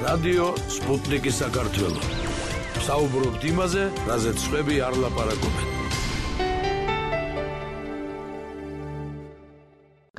რადიო სპუტნიკი საქართველო. საუბრობთ იმაზე, რაზეც სხვები არ ლაპარაკობენ.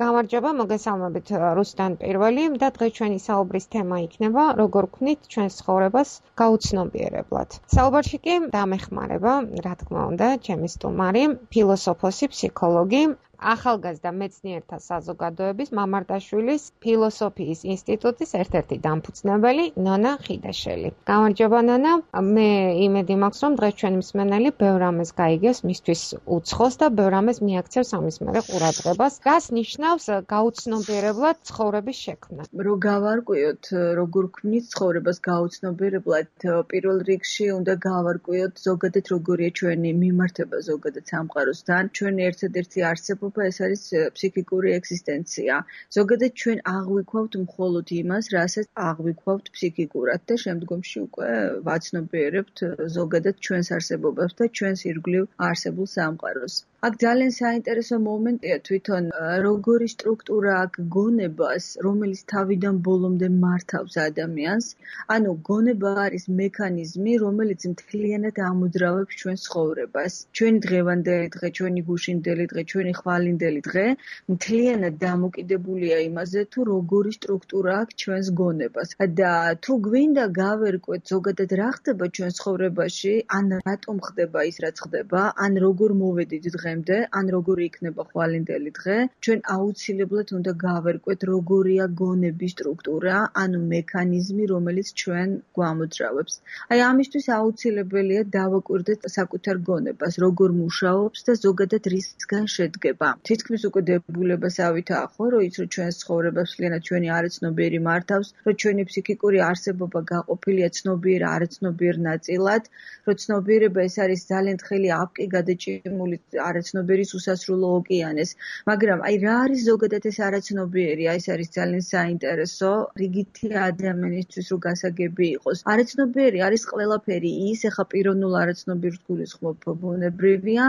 გამარჯობა, მოგესალმებით რუსთან პირველი და დღეს ჩვენი საუბრის თემა იქნება როგორ ვქნით ჩვენს ცხოვრებას გაუცნობიერებლად. საუბარში კი დამეხმარება, რა თქმა უნდა, ჩემი სტუმარი, ფილოსოფოსი, ფსიქოლოგი, ახალგაზრდა მეცნიერთა საზოგადოების მამარდაშვილის ფილოსოფიის ინსტიტუტის ერთ-ერთი დამფუძნებელი ნონა ხიდაშელი. გამარჯობა ნონა, მე იმედი მაქვს, რომ დღეს ჩვენი მსმენელი ბევრ რამეს გაიგებს მისთვის უცხოს და ბევრ რამეს მიაქცევს ამის მერე ყურადღებას. რას ნიშნავს გაუცნობიერებლად ცხოვრების შექმნა? რო გავარკვიოთ, როგორ ვქმნით ცხოვრებას გაუცნობიერებლად, პირველ რიგში უნდა გავარკვიოთ ზოგადად როგორია ჩვენი მიმართება ზოგადად სამყაროსთან, ჩვენი ერთადერთი არსებობა ეს არის ფსიქიკური ეგზისტენცია. ზოგადად ჩვენ აღვიქვავთ მხოლოდ იმას, რასაც აღვიქვავთ ფსიქიკურად და შემდგომში უკვე ვაცნობიერებთ ზოგადად ჩვენს არსებობას და ჩვენს ირგვლივ არსებულ სამყაროს. აქ ძალიან საინტერესო მომენტია თვითონ როგორი სტრუქტურა აქვს გონებას, რომელიც თავიდან ბოლომდე მართავს ადამიანს. ანუ გონება არის მექანიზმი, რომელიც მთლიანად ამოძრავებს ჩვენს ცხოვრებას. ჩვენი დღევანდელი დღე, ჩვენი გუშინდელი დღე, ჩვენი ხვალინდელი დღე მთლიანად დამოკიდებულია იმაზე, თუ როგორი სტრუქტურა აქვს ჩვენს გონებას. და თუ გვინდა გავერკვეთ ზოგადად რა ხდება ჩვენს ცხოვრებაში, ან რატომ ხდება ის, რაც ხდება, ან როგორ მოვედით დღემდე, ან როგორი იქნება ხვალინდელი დღე, ჩვენ აუცილებლად უნდა გავერკვეთ როგორია გონების სტრუქტურა, ანუ მექანიზმი, რომელიც ჩვენ გვამოძრავებს. აი ამისთვის აუცილებელია დავაკვირდეთ საკუთარ გონებას, როგორ მუშაობს და ზოგადად რისგან შედგება. თითქმის უკვე დებულებასავითაა ხო, რომ ის რომ ჩვენს ცხოვრებას მთლიანად ჩვენი არაცნობიერი მართავს, რომ ჩვენი ფსიქიკური არსებობა გაყოფილია ცნობიერ არაცნობიერ ნაწილად, რომ ცნობიერება ეს არის ძალიან თხელი აპკი გადაჭიმული არაცნობიერის უსასრულო ოკეანეს. მაგრამ აი რა არის ზოგადად ეს არაცნობიერი? აი ეს არის ძალიან საინტერესო, რიგითი ადამიანისთვის რო გასაგები იყოს. არაცნობიერი არის ყველაფერი ის, ეხა პიროვნულ არაცნობიერს გულისხმობ ბუნებრივია,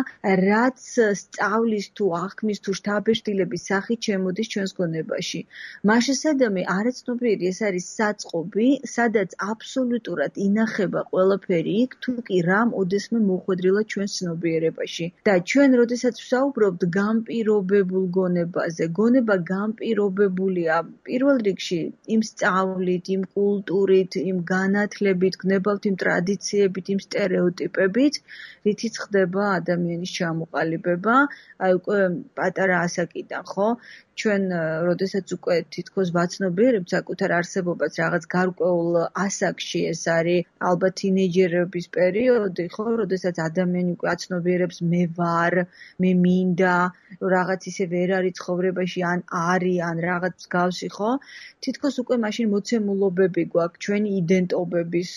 რაც სწავლის თუ აღქმის თუ შთაბეჭდილების სახით შემოდის ჩვენს გონებაში. მაშასადამე არაცნობიერი ეს არის საწყობი, სადაც აბსოლუტურად ინახება ყველაფერი იქ, თუ კი რამ ოდესმე მოხვედრილა ჩვენს ცნობიერებაში. და ჩვენ როდესაც ვსაუბრობთ განპირობებულ გონებაზე, გონება განპირობებულია პირველ რიგში იმ სწავლით, იმ კულტურით, იმ განათლებით, გნებავთ იმ ტრადიციებით, იმ სტერეოტიპებით, რითიც ხდება ადამიანის ჩამოყალიბება. აი უკვე პატარა ასაკიდან, ხო? ჩვენ როდესაც უკვე თითქოს ვაცნობიერებთ საკუთარ არსებობას რაღაც გარკვეულ ასაკში, ეს არის ალბათ თინეიჯერების პერიოდი, ხო, როდესაც ადამიანი უკვე აცნობიერებს მე ვარ, მე მინდა, რაღაც ისე ვერ არის ცხოვრებაში, ან არის, ან რაღაც მსგავსი, ხო? თითქოს უკვე მაშინ მოცემულობები გვაქვს ჩვენი იდენტობების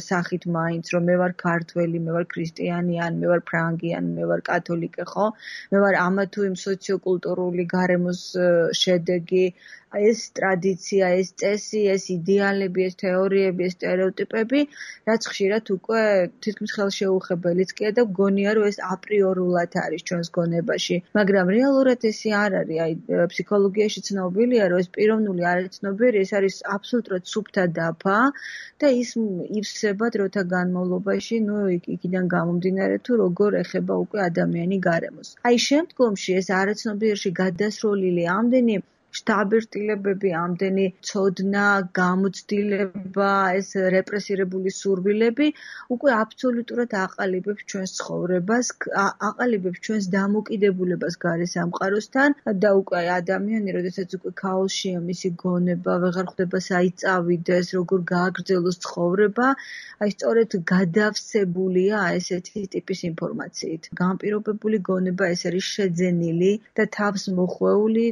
სახით მაინც, რომ მე ვარ ქართველი, მე ვარ ქრისტიანი, ან მე ვარ ფრანგი, ან მე ვარ კათოლიკე, ხო? მე ვარ ამა თუ იმ სოციოკულტურული გარემოს შედეგი, ეს ტრადიცია, ეს წესი, ეს იდეალები, ეს თეორიები, ეს სტერეოტიპები, რაც ხშირად უკვე თითქმის ხელშეუხებელიც კი და გონია, რომ ეს აპრიორულად არის ჩვენს გონებაში. მაგრამ რეალურად ესე არ არის. აი ფსიქოლოგიაში ცნობილია, რომ ეს პიროვნული არაცნობიერი ეს არის აბსოლუტურად სუფთა დაფა და ის ივსება დროთა განმავლობაში, ნუ იქიდან გამომდინარე თუ როგორ ეხება უკვე ადამიანი გარემოს. აი შემდგომში ეს არაცნობიერში გადასროლილი ამდენი შთაბეჭდილებები, ამდენი ცოდნა, გამოცდილება, ეს რეპრესირებული სურვილები უკვე აბსოლუტურად აყალიბებს ჩვენს ცხოვრებას, აყალიბებს ჩვენს დამოკიდებულებას გარე სამყაროსთან და უკვე ადამიანი, როდესაც უკვე ქაოსშია მისი გონება, ვეღარ ხვდება საიწავიდეს, როგორ გააგრძელოს ცხოვრება, აი სწორედ გადავსებულია ესეთი ტიპის ინფორმაციით. განპირობებული გონება ეს არის შეძენილი და თავს მოხვეული,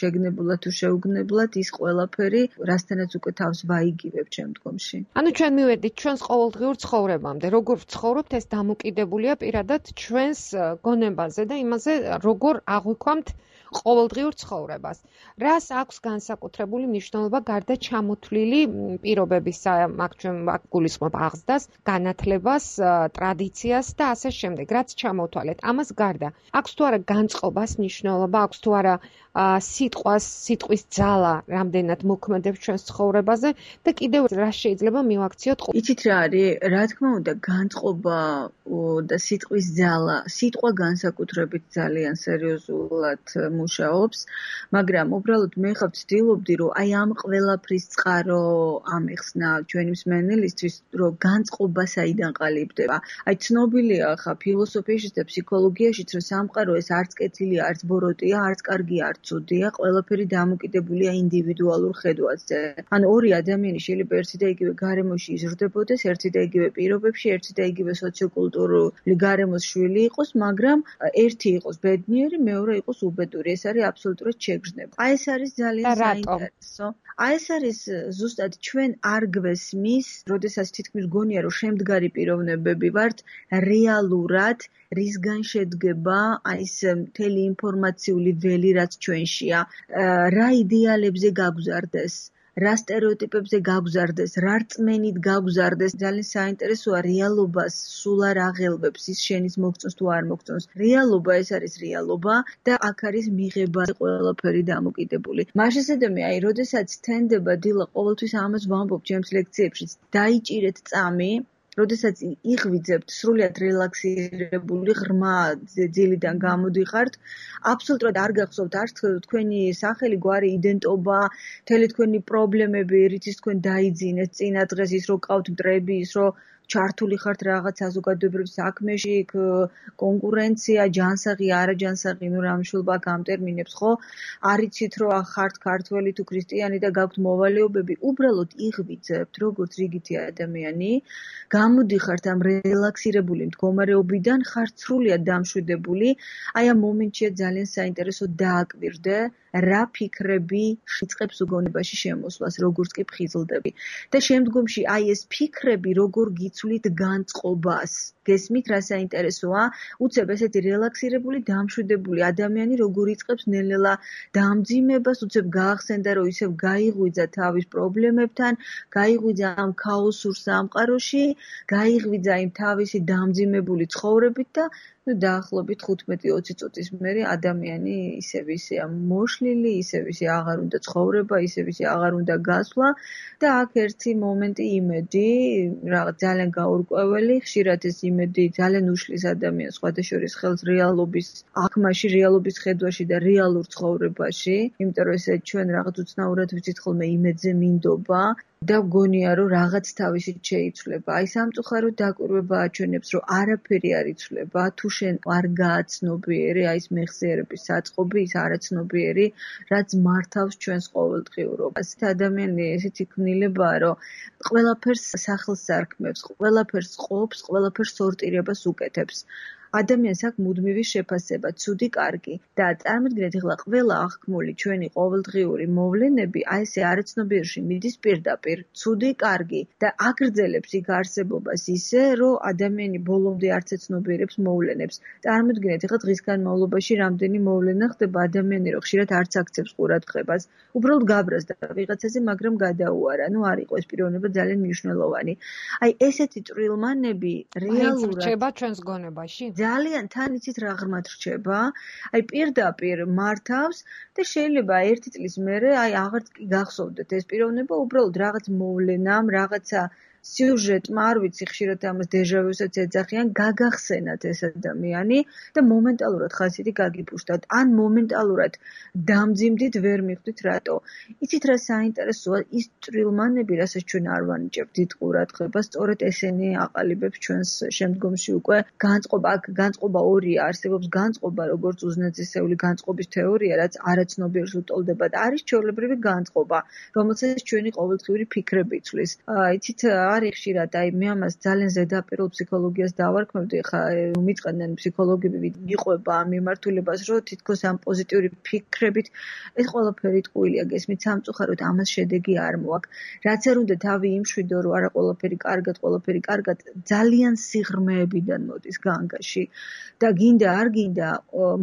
შეგნებული თუ შეუგნებლად ის ყველაფერი, რასთანაც უკვე თავს ვაიგივებთ შემდგომში. ანუ ჩვენ მივედით ჩვენს ყოველდღიურ ცხოვრებამდე, როგორ ვცხოვრობთ, ეს დამოკიდებულია პირადად ჩვენს გონებაზე და იმაზე, როგორ აღვიქვამთ ყოველდღიურ ცხოვრებას. რას აქვს განსაკუთრებული მნიშვნელობა გარდა ჩამოთვლილი პირობებისა, აქ გულისხმობ აღზრდას, განათლებას, ტრადიციას და ასე შემდეგ, რაც ჩამოვთვალეთ. ამას გარდა აქვს თუ არა განწყობას მნიშვნელობა, აქვს თუ არა სიტყვის ძალა რამდენად მოქმედებს ჩვენს ცხოვრებაზე და კიდევ რა შეიძლება მივაქციოთ? იცით რა არის? რა თქმა უნდა, განწყობა და სიტყვის ძალა, სიტყვა განსაკუთრებით ძალიან სერიოზულად მუშაობს, მაგრამ უბრალოდ მე ხავ ვცდილობდი, რომ აი ამ ყველაფრის წყარო ამეხსნა ჩვენი მსმენელისთვის, რომ განწყობა საიდან ყალიბდება. აი ცნობილია ხა ფილოსოფიაშიც და ფსიქოლოგიაშიც, რომ სამყარო ეს არც კეთილია, არც ბოროტია, არც კარგია, არც ცუდია, ყველაფერი დამოკიდებულია ინდივიდუალურ ხედვაზე. ან ორი ადამიანი შეიძლება ერთი და იგივე გარემოში იზრდებოდეს, ერთი და იგივე პირობებში, ერთი და იგივე სოციოკულტურული გარემოს შვილი იყოს, მაგრამ ერთი იყოს ბედნიერი, მეორე იყოს უბედური. ეს არის აბსოლუტურად შეგრძნება. აი ეს არის ძალიან საინტერესო. აი ეს არის ზუსტად ჩვენ არ გვესმის, როდესაც თითქმის გონია, რომ შემდგარი პიროვნებები ვართ, რეალურად რისგან შედგება აი ეს მთელი ინფორმაციული ველი, რაც ჩვენშია, რა იდეალებზე გაგზარდეს, რა სტერეოტიპებზე გაგზარდეს, რა რწმენით გაგზარდეს. ძალიან საინტერესოა რეალობას სულ არ აღელვებს ის შენის მოგწონს თუ არ მოგწონს. რეალობა ეს არის რეალობა და აქ არის მიღება ყველაფერი დამოკიდებული. მაშასადამე აი როდესაც თენდება დილა ყოველთვის ამას ვამბობ ჩემს ლექციებშიც, დაიჭირეთ წამი, როდესაც იღვიძებთ სრულიად რელაქსირებული ღრმა ძილიდან გამოდიხართ, აბსოლუტურად არ გახსოვთ არც თქვენი სახელი, გვარი, იდენტობა, მთელი თქვენი პრობლემები, რითიც თქვენ დაიძინეთ წინა დღეს, ის რო ყავთ მტრები, ის რო ჩართული ხართ რაღაც საზოგადოებრივ საქმეში, კონკურენცია, ჯანსაღი, არაჯანსაღი, ნუ რა მნიშვნელობა აქვს ამ ტერმინებს, ხო? არიცით რომ ხართ ქართველი თუ ქრისტიანი და გაქვთ მოვალეობები, უბრალოდ იღვიძებთ, როგორც რიგითი ადამიანი, გამოდიხართ ამ რელაქსირებული მდგომარეობიდან, ხართ სრულიად დამშვიდებული, აი ამ მომენტშია ძალიან საინტერესო დააკვირდე, რა ფიქრები იწყებს უგონებაში შემოსვლას, როგორც კი ფხიზლდები. და შემდგომში აი ეს ფიქრები როგორ გიცვლით განწყობას. გესმით რა საინტერესოა? უცებ ესეთი რელაქსირებული, დამშვიდებული ადამიანი როგორ იწყებს ნელ-ნელა დამძიმებას, უცებ გაახსენდა, რომ ისევ გაიღვიძა თავის პრობლემებთან, გაიღვიძა ამ ქაოსურ სამყაროში, გაიღვიძა იმ თავისი დამძიმებული ცხოვრებით და დაახლოებით 15-20 წუთის მერე ადამიანი ისევ ისეა მოშლილი, ისევ ისე აღარ უნდა ცხოვრება, ისევ ისე აღარ უნდა გასვლა და აქ ერთი მომენტი იმედი, რაღაც ძალიან გაურკვეველი, ხშირად ეს იმედი ძალიან უშლის ადამიანს სხვადასხვა ხელს რეალობის აღქმაში, რეალობის ხედვაში და რეალურ ცხოვრებაში, იმიტომ რომ ესე ჩვენ რაღაც უცნაურად ვიცით ხოლმე იმედზე მინდობა და გონია რომ რაღაც თავისით შეიცვლება. აი სამწუხაროდ დაკვირვება აჩვენებს, რომ არაფერი არ იცვლება, თუ შენ არ გააცნობიერე აი ეს მეხსიერების საწყობი, ის არაცნობიერი, რაც მართავს ჩვენს ყოველდღიურობას. ადამიანი ესეთი ქმნილებაა, რომ ყველაფერს სახელს არქმევს, ყველაფერს ყოფს, ყველაფერს სორტირებას უკეთებს. ადამიანს აქვს მუდმივი შეფასება, ცუდი, კარგი და წარმოიდგინეთ ახლა ყველა აღქმული ჩვენი ყოველდღიური მოვლენები აი ესე არაცნობიერში მიდის პირდაპირ, ცუდი, კარგი და აგრძელებს იქ არსებობას ისე, რომ ადამიანი ბოლომდე არც ეცნობიერებს მოვლენებს. წარმოიდგინეთ ახლა დღის განმავლობაში რამდენი მოვლენა ხდება, ადამიანი რომ ხშირად არც აქცევს ყურადღებას, უბრალოდ გაბრაზდა ვიღაცაზე, მაგრამ გადაუარა. ნუ არ იყო ეს პიროვნება ძალიან მნიშვნელოვანი. აი ესეთი წვრილმანები რეალურად რჩება ჩვენს გონებაში. ძალიან თან იცით რა ღრმად რჩება, აი პირდაპირ მართავს და შეიძლება ერთი წლის მერე აი აღარც კი გახსოვდეთ ეს პიროვნება, უბრალოდ რაღაც მოვლენამ, რაღაცა სიუჟეტმა, არ ვიცი, ხშირად ამას დეჟავიუსაც ეძახიან, გაგახსენათ ეს ადამიანი და მომენტალურად ხასიათი გაგიპუშტათ, ან მომენტალურად დამძიმდით, ვერ მიხვდით რატო. იცით რა საინტერესოა, ის წვრილმანები, რასაც ჩვენ არ ვანიჭებთ დიდ ყურადღებას, სწორედ ესენი აყალიბებს ჩვენს შემდგომში უკვე განწყობა. აქ განწყობა ორია, არსებობს განწყობა, როგორც უზნეწისეული განწყობის თეორია, რაც არაცნობიერს უტოლდება და არის ჩვეულებრივი განწყობა, რომელსაც ჩვენი ყოველდღიური ფიქრები იცვლის. იცით არის ხშირად, აი მე ამას ძალიან ზედაპირულ ფსიქოლოგიას დავარქმევდი, ხა მიწყენდნენ ფსიქოლოგები მიყვება ამ მიმართულებას, რომ თითქოს ამ პოზიტიური ფიქრებით ეს ყველაფერი ტყუილია, გესმით, სამწუხაროდ ამას შედეგი არ მოაქვს. რაც არ უნდა თავი იმშვიდო, რომ არა ყველაფერი კარგად, ძალიან სიღრმეებიდან მოდის განგაში და გინდა არ გინდა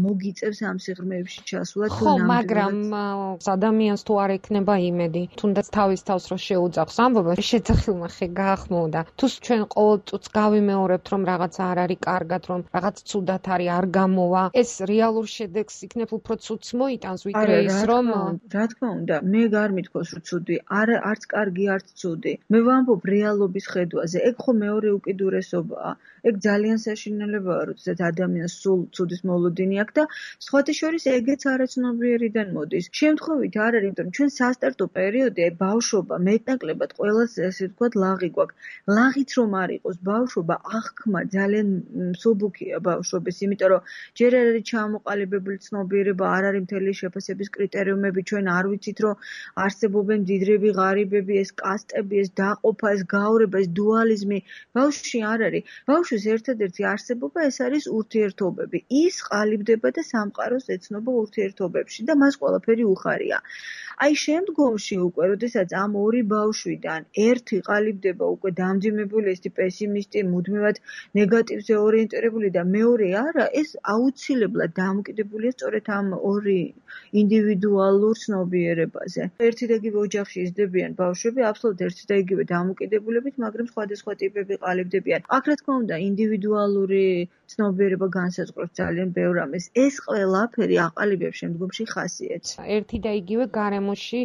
მოგიწევს ამ სიღრმეებში ჩასვლა თუ ნამდვილად. ხო, მაგრამ ადამიანს თუ არ ექნება იმედი, თუნდაც თავის თავს რო შეუძახს ამბობა, შეძახილმა ხე გაახმოვდა. თუ ჩვენ ყოველ წუთს გავიმეორებთ, რომ რაღაცა არ არის კარგად, რომ რაღაც ცუდად არის, არ გამოვა, ეს რეალურ შედეგს იქნებ უფრო ცუდს მოიტანს, ვიდრე ის რომ რა თქმა უნდა, მე არ მithქოს რომ ცუდი, არც კარგი, არც ცუდი. მე ვამბობ რეალობის ხედვაზე. ეგ ხო მეორე უკიდურესობაა. ეგ ძალიან საშინელებაა, როდესაც ადამიანს სულ ცუდის მოლოდინი აქვს და სხვათა შორის ეგეც არაცნობიერიდან მოდის. შემთხვევით არ არის, იმიტომ ჩვენ სასტარტო პერიოდი, ბავშვობა, მეტნაკლებად ყველას ესე ვთქვათ, ლაღი გვაქვს. ლაღიც რომ არ იყოს, ბავშვობა აღქმა ძალიან მსუბუქია ბავშვობის, იმიტომ რომ ჯერ არ არის ჩამოყალიბებული ცნობიერება, არ არის მთელი შეფასების კრიტერიუმები, ჩვენ არ ვიცით, რომ არსებობენ მდიდრები, ღარიბები, ეს კასტები, ეს დაყოფა, ეს გაორება, ეს დუალიზმი. ბავშვში არ არის. ბავშვის ერთადერთი არსებობა ეს არის ურთიერთობები. ის ყალიბდება და სამყაროს ეცნობა ურთიერთობებში და მას ყველაფერი უხარია. აი შემდგომში უკვე, როდესაც ამ ორი ბავშვიდან ერთი ყალიბდება უკვე დამძიმებული, ესეთი პესიმისტი, მუდმივად ნეგატივზე ორიენტირებული და მეორე არა, ეს აუცილებლად დამოკიდებულია სწორედ ამ ორი ინდივიდუალურ ცნობიერებაზე. ერთი და იგივე ოჯახში იზრდებიან ბავშვები, აბსოლუტურად ერთი და იგივე დამოკიდებულებით, მაგრამ სხვადასხვა ტიპები ყალიბდებიან. აქ რა თქმა უნდა, ინდივიდუალური ცნობიერება განსაზღვრავს ძალიან ბევრ რამეს. ეს ყველაფერი აყალიბებს შემდგომში ხასიათს. ერთი და იგივე გარემოში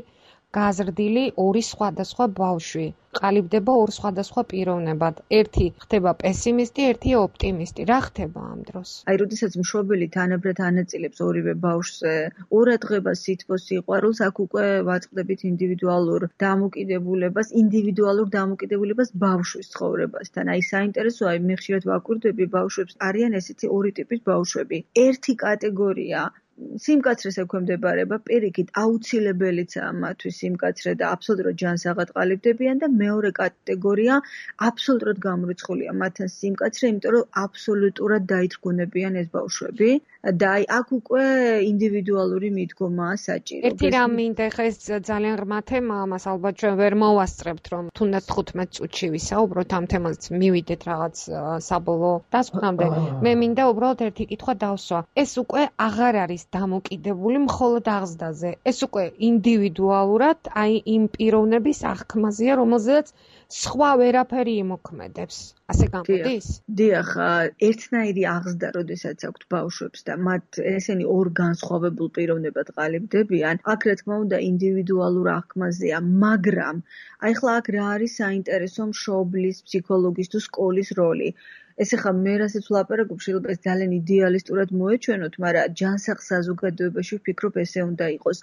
გაზრდილი ორი სხვადასხვა ბავშვი ყალიბდება ორ სხვადასხვა პიროვნებად. ერთი ხდება პესიმისტი, ერთი ოპტიმისტი. რა ხდება ამ დროს? აი, როდესაც მშობელი თანაბრად ანაწილებს ორივე ბავშვზე ყურადღებას, სითბოს, სიყვარულს, აქ უკვე ვაწყდებით ინდივიდუალურ დამოკიდებულებას ბავშვის ცხოვრებასთან. აი, საინტერესოა, მე ხშირად ვაკვირდები ბავშვებს, არიან ესეთი ორი ტიპის ბავშვები. ერთი კატეგორია სიმკაცრეს ექვემდებარება, პირიქით აუცილებელიცაა მათთვის სიმკაცრე და აბსოლუტურად ჯანსაღად ყალიბდებიან და მეორე კატეგორია აბსოლუტურად გამორიცხულია მათთან სიმკაცრე, იმიტომ რომ აბსოლუტურად დაითრგუნებიან ეს ბავშვები და აი აქ უკვე ინდივიდუალური მიდგომაა საჭირო. ერთი რამ მინდა, ხა ეს ძალიან ღრმა თემაა, მას ალბათ ჩვენ ვერ მოვასწრებთ, რომ თუნდაც 15 წუთში ვისაუბროთ ამ თემაზე, მივიდეთ რაღაც საბოლოო დასკვნამდე. მე მინდა უბრალოდ ერთი კითხვა დავსვა. ეს უკვე აღარ არის დამოკიდებული მხოლოდ აღზრდაზე. ეს უკვე ინდივიდუალურად, აი იმ პიროვნების აღქმაზეა, რომელზეც სხვა ვერაფერი იმოქმედებს. ასე გამოდის? დიახ, ერთნაირი აღზრდა, როდესაც აქვთ ბავშვებს და მათ ესენი ორ განსხვავებულ პიროვნებად ყალიბდებიან, აქ რა თქმა უნდა ინდივიდუალურ აღქმაზეა, მაგრამ აი ხლა აქ რა არის საინტერესო მშობლის, ფსიქოლოგის თუ სკოლის როლი? ეს ახლა მე რასაც ვლაპარაკობ, შეიძლება ძალიან იდეალისტურად მოეჩვენოთ, მაგრამ ჯანსაღ საზოგადოებაში ვფიქრობ ესე უნდა იყოს.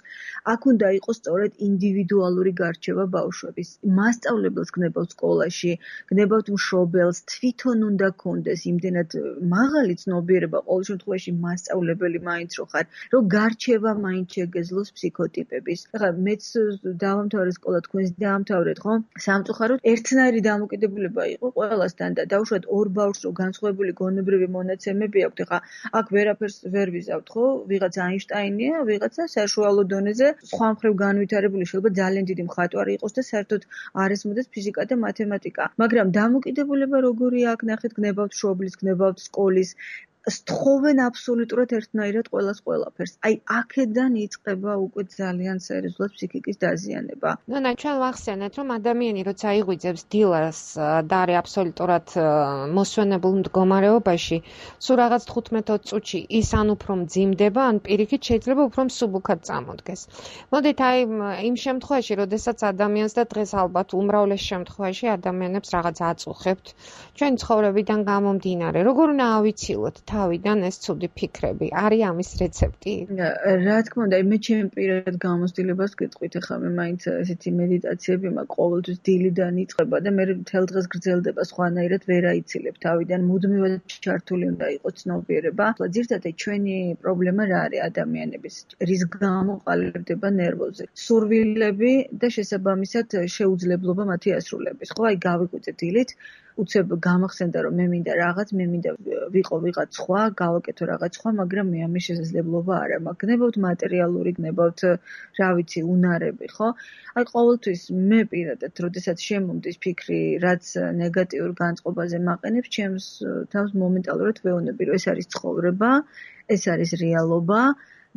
აქ უნდა იყოს სწორედ ინდივიდუალური გარჩევა ბავშვების. მასწავლებელს გნებავთ სკოლაში, გნებავთ მშობელს, თვითონ უნდა გქონდეს იმდენად მაღალი ცნობიერება, ყოველ შემთხვევაში მასწავლებელი მაინც რო ხარ, რომ გარჩევა მაინც შეგეძლოს ფსიქოტიპების. ახლა მეც დავამთავრე სკოლა, თქვენს დაამთავრეთ, ხო? სამწუხაროდ ერთნაირი დამოკიდებულება იყო ყველასთან და დაუშვათ ორ ბავშვს რო განსხვავებული გონებრივი მონაცემები აქვთ, ხა აქ ვერაფერს ვერ ვიზავთ, ხო? ვიღაცა აინშტაინია, ვიღაცა საშუალო დონეზე სხვა მხრივ განვითარებული, შეიძლება ძალიან დიდი მხატვარი იყოს და საერთოდ არ ესმოდეს ფიზიკა და მათემატიკა. მაგრამ დამოკიდებულება როგორია აქ ნახეთ, გნებავთ მშობლის, გნებავთ სკოლის, სთხოვენ აბსოლუტურად ერთნაირად ყველაფერს. აი, აქედან იწყება უკვე ძალიან სერიოზულად ფსიქიკის დაზიანება. ნანა, ჩვენ ვახსენეთ, რომ ადამიანი როცა იღვიძებს დილას და არის აბსოლუტურად მოსვენებულ მდგომარეობაში, სულ რაღაც 15-20 წუთში ის ან უფრო მძიმდება, ან პირიქით შეიძლება უფრო მსუბუქად წამოდგეს. მოდით აი იმ შემთხვევაში, როდესაც ადამიანს და დღეს ალბათ უმრავლეს შემთხვევაში ადამიანებს რაღაც აწუხებთ, ჩვენი ცხოვრებიდან გამომდინარე, როგორ უნდა ავიცილოთ თავიდან ეს ცუდი ფიქრები? არის ამის რეცეპტი? რა თქმა უნდა, მე ჩემი პირად გამოცდილებას გეტყვით, ახლა მე მაინც ესეთი მედიტაციები მაქვს ყოველთვის დილიდან იწყება და მე მთელ დღეს გრძელდება, სხვანაირად ვერ აიცილებ თავიდან, მუდმივად ჩართული უნდა იყოს ცნობიერება. ძირითადად ჩვენი პრობლემა რა არის ადამიანების? რის გამო ყალიბდება ნერვოზე? სურვილები და შესაბამისად შეუძლებლობა მათი ასრულების. ხო, აი გავიკვირდე დილით, უცებ გამახსენდა რომ მე მინდა რაღაც, მე მინდა ვიყო ვიღაც სხვა, გავაკეთო რაღაც სხვა, მაგრამ მე ამის შესაძლებლობა არ მაქვს. გნებავთ მატერიალური, გნებავთ, რა ვიცი, უნარები, ხო? აი ყოველთვის მე პირადად, როდესაც შემომდის ფიქრი, რაც ნეგატიურ განწყობაზე მაყენებს, ჩემს თავს მომენტალურად ვეუბნები, რომ ეს არის ცხოვრება, ეს არის რეალობა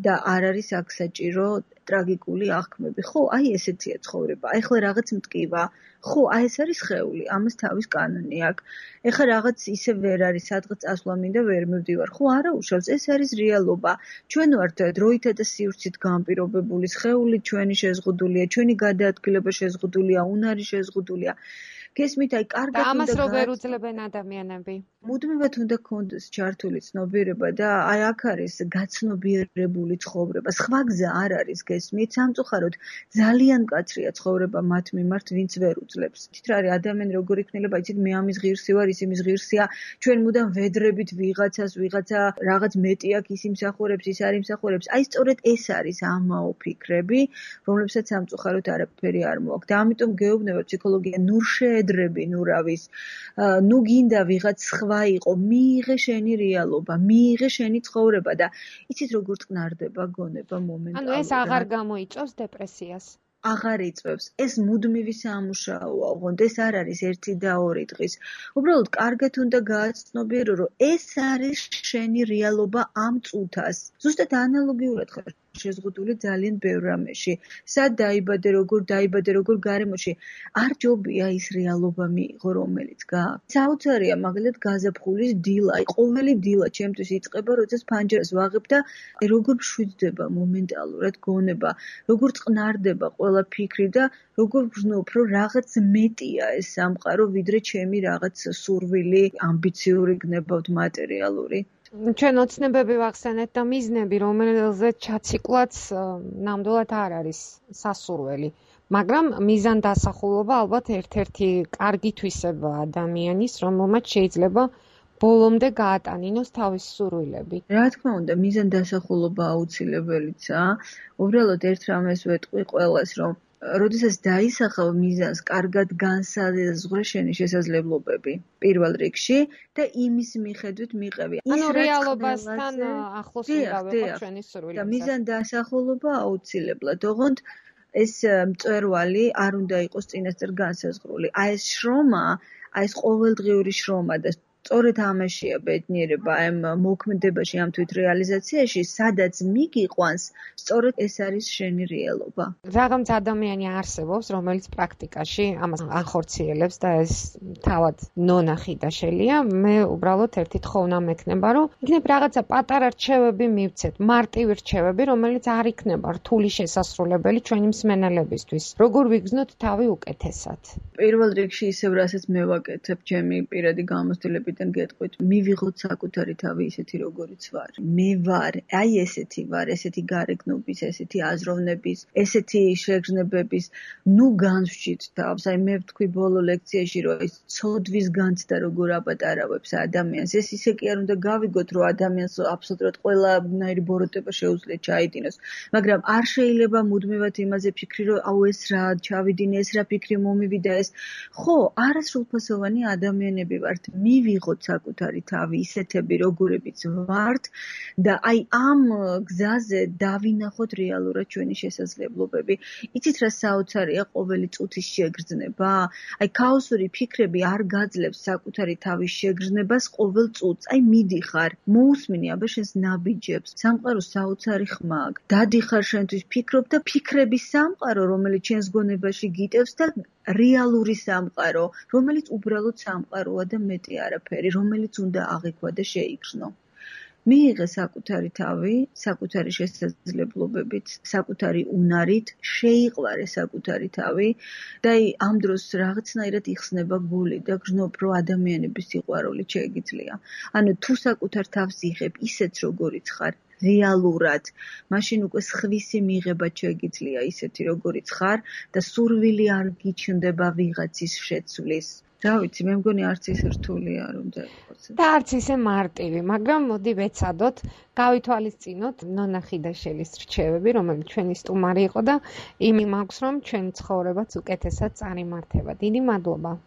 და არ არის აქ საჭირო ტრაგიკული აღქმები. ხო, აი ესეთია ცხოვრება. აი ხლა რაღაც მტკივა. ხო, აი ეს არის სხეული, ამას თავის კანონი აქვს. ეხლა რაღაც ისე ვერ არის, სადღაც წასვლა მინდა ვერ მივდივარ. ხო, არა უშავს, ეს არის რეალობა. ჩვენ ვართ დროითა და სივრცით განპირობებული სხეული, ჩვენი შეზღუდულია, ჩვენი გადაადგილება შეზღუდულია, უნარი შეზღუდულია. გესმით, აი კარგად და ამას რო ვერ უძლებენ ადამიანები. მუდმივად უნდა გქონდეს ჩართული ცნობიერება და აი აქ არის გაცნობიერებული ცხოვრება. სხვა გზა არ არის, გესმით? სამწუხაროდ ძალიან მკაცრია ცხოვრება მათ მიმართ, ვინც ვერ უძლებს. თით რა არის ადამიანი როგორ იქნელება, იცით, მე ამის ღირსი ვარ, ის იმის ღირსია, ჩვენ მუდამ ვედრებით ვიღაცას, ვიღაცა რაღაც მეტი აქვს, ის იმსახურებს, ის არ იმსახურებს. აი სწორედ ეს არის ამაო ფიქრები, რომლებსაც სამწუხაროდ არაფერი არ მოაქვს. და ამიტომ გეუბნება ფსიქოლოგია, ნუ შეედრები, ნუ რავის, ნუ გინდა ვიღაც სხვა იყო, მიიღე შენი რეალობა, მიიღე შენი ცხოვრება და იცით როგორ წყნარდება გონება მომენტალურად. ანუ ეს აღარ გამოიწვევს დეპრესიას. აღარ იწვევს. ეს მუდმივი სამუშაოა, ოღონდ ეს არ არის 1 და 2 დღის. უბრალოდ კარგად უნდა გააცნობიერო, რომ ეს არის შენი რეალობა ამ წუთას. ზუსტად ანალოგიურად ხარ შეზღუდული ძალიან ბევრ რამეში. სად დაიბადე, როგორ გარემოში, არ ჯობია ის რეალობა მიიღო, რომელიც გააქვს. საოცარია მაგალითად გაზაფხულის დილა, აი ყოველი დილა ჩემთვის იწყება, როდესაც ფანჯარას ვაღებ და როგორ მშვიდდება მომენტალურად გონება, როგორ წყნარდება ყველა ფიქრი და როგორ ვგრძნობ, რომ რაღაც მეტია ეს სამყარო, ვიდრე ჩემი რაღაც სურვილი, ამბიციური გნებავთ მატერიალური. ჩვენ ოცნებები ვახსენეთ და მიზნები, რომელზეც ჩაციკლაც ნამდვილად არ არის სასურველი. მაგრამ მიზან დასახულობა ალბათ ერთ-ერთი კარგი თვისება ადამიანის, რომელმაც შეიძლება ბოლომდე გაატანინოს თავის სურვილები. რა თქმა უნდა, მიზან დასახულობა აუცილებელიცაა. უბრალოდ ერთ რამეს ვეტყვი ყველას, რომ როდესაც დაისახავ მიზანს, კარგად განსაზღვრე შენი შესაძლებლობები პირველ რიგში და იმის მიხედვით მიყევი. ანუ რეალობასთან ახლოს უნდა ვიყოთ ჩვენი სურვილები. და მიზან დასახულობა აუცილებლად. ოღონდ ეს მწვერვალი არ უნდა იყოს წინასწარ განსაზღვრული. აი ეს შრომა, აი ეს ყოველდღიური შრომა და სწორედ ამაშია ბედნიერება, ამ მოქმედებაში, ამ თვითრეალიზაციაში, სადაც მიგიყვანს, სწორედ ეს არის შენი რეალობა. რაღაც ადამიანი არსებობს, რომელიც პრაქტიკაში ამას ახორციელებს და ეს თავად ნონახი და შელია. მე უბრალოდ ერთი თხოვნა მექნება, რომ იქნებ რაღაცა პატარა რჩევები მივცეთ, მარტივი რჩევები, რომელიც არ იქნება რთული შესასრულებელი ჩვენი მსმენელებისთვის. როგორ ვიგრძნოთ თავი უკეთესად. პირველ რიგში ისევ რასაც მე ვაკეთებ, ჩემი პირადი გამოცდილებიდან გეტყვით, მივიღოთ საკუთარი თავი ისეთი როგორიც ვარ. მე ვარ, აი ესეთი ვარ, ესეთი გარეგნობის, ესეთი აზროვნების, ესეთი შეგრძნებების, ნუ განსვჭით თავს. აი მე ვთქვი ბოლო ლექციაში, რომ ეს ცოდვის განცდა როგორ აპატარავებს ადამიანს. ეს ისე კი არ უნდა გავიგოთ, რომ ადამიანს აბსოლუტურად ყველანაირი ბოროტება შეუძლია ჩაიდინოს. მაგრამ არ შეიძლება მუდმივად იმაზე ფიქრი, რომ აუ ეს რა ჩავიდინე, ეს რა ფიქრი მომივიდა ეს. ხო, არასრულფასოვანი ადამიანები ვართ. მივიღოთ საკუთარი თავი, ისეთები როგორებიც ვართ და აი ამ გზაზე დავინახოთ რეალურად ჩვენი შესაძლებლობები. იცით რა საოცარია ყოველი წუთის შეგრძნება? აი ქაოსური ფიქრები არ გაძლევს საკუთარი თავის შეგრძნებას ყოველ წუთს. აი მიდიხარ, მოусმინი აბა შენს ნაბიჯებს. სამყაროს საოცარი ხმა აქვს. დადიხარ შენთვის ფიქრობ და ფიქრების სამყარო, რომელიც ჩვენს გონებაში გიტევს და რეალური სამყარო, რომელიც უბრალოდ სამყაროა და მეტი არაფერი, რომელიც უნდა აღიქვა და შეიგრძნო. მიიღე საკუთარი თავი, საკუთარი შესაძლებლობებით, საკუთარი უნარით, შეიყვარე საკუთარი თავი და ამ დროს რაღაცნაირად იხსნება გული და გრძნობ, რომ ადამიანების სიყვარული შეეგიძლია. ანუ თუ საკუთარ თავს იღებ ისეთ როგორიც ხარ, რეალურად, მაშინ უკვე სხვისი მიღება შეეგიძლია ისეთი როგორიც ხარ და სურვილი არ გიჩნდება ვიღაცის შეცვლის. რა ვიცი, მე მგონი არც ისე რთული არ უნდა იყოს. და არც ისე მარტივი, მაგრამ მოდი ვეცადოთ, გავითვალისწინოთ ნონა ხიდაშელის რჩევები, რომელიც ჩვენი სტუმარი იყო და იმი მაქვს, რომ ჩვენი ცხოვრებაც უკეთესად წარიმართება. დიდი მადლობა.